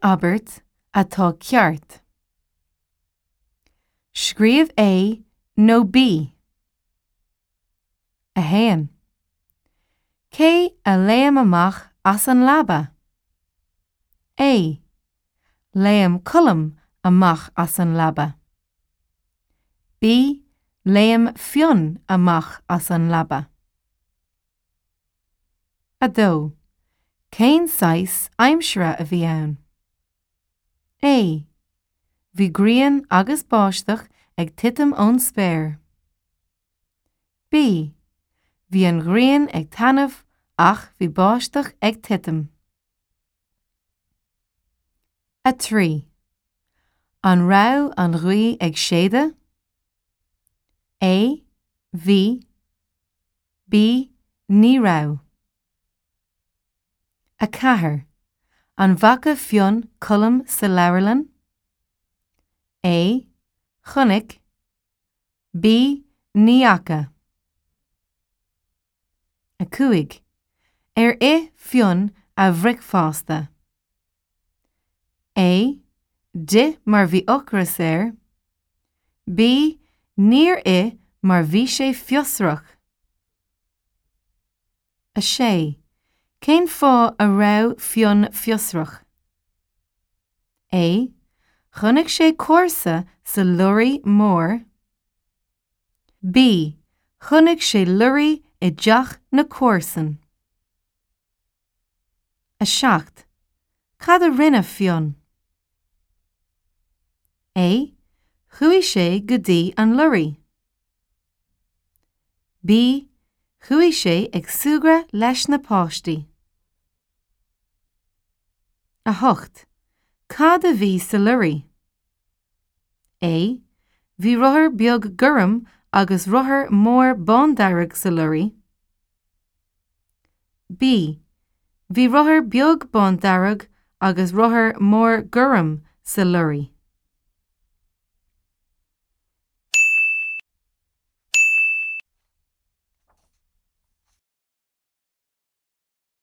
abairt atá ceart? Scríobh A nó B. 1. Cé a léim amach as an leaba? A. Léim Colm amach as an leaba. B. Léim Fionn amach as an leaba. 2. Cén saghas aimsire a bhí ann? A. Bhí grian agus báisteach ag titim ón spéir. B. Bhí an ghrian ag taitneamh ach bhí báisteach ag titim. 3. An raibh an ghaoth ag séideadh? A. Bhí. B. Ní raibh. 4. An bhfaca Fionn Colm sa leabharlann? A. Chonaic. B. Ní fhaca. 5. Ar ith Fionn a bhricfeasta? A. D'ith mar bhí ocras air. B. Níor ith mar bhí sé fiosrach. 6. Cén fáth a raibh Fionn fiosrach? A. Chonaic sé comharsa sa lorry mór. B. Chonaic sé lorry i dteach na comharsan. 7. Cad a rinne Fionn? A. Chuaigh sé go dtí an lorry. B. Chuaigh sé ag súgradh leis na páistí. 8. Cad a bhí sa lorry? A. Bhí rothar beag gorm agus rothar mór bándearg sa lorry. B. Bhí rothar beag bándearg agus rothar mór gorm sa lorry.